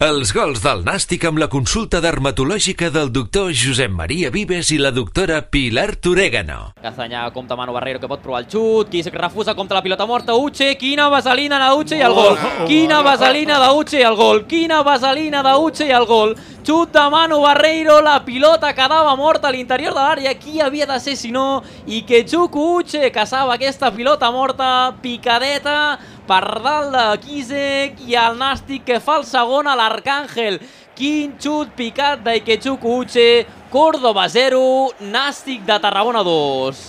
Els gols del Nàstic amb la consulta dermatològica del doctor Josep Maria Vives i la doctora Pilar Torégano. Castanyà compta Manu Barreiro, que pot provar el xut, qui refusa contra la pilota morta, Uche, quina vaselina d'Uche i el gol, quina vaselina d'Uche i el gol, quina vaselina d'Uche i el gol, xut de Manu Barreiro, la pilota quedava morta a l'interior de l'àrea, qui havia de ser si no, i que Chuku Uche caçava aquesta pilota morta, picadeta, per dalt de Kizek i el Nàstic que fa el segon a l'Arcàngel. Quin xut picat d'Ikechuku Uche, Córdoba 0, Nàstic de Tarragona 2.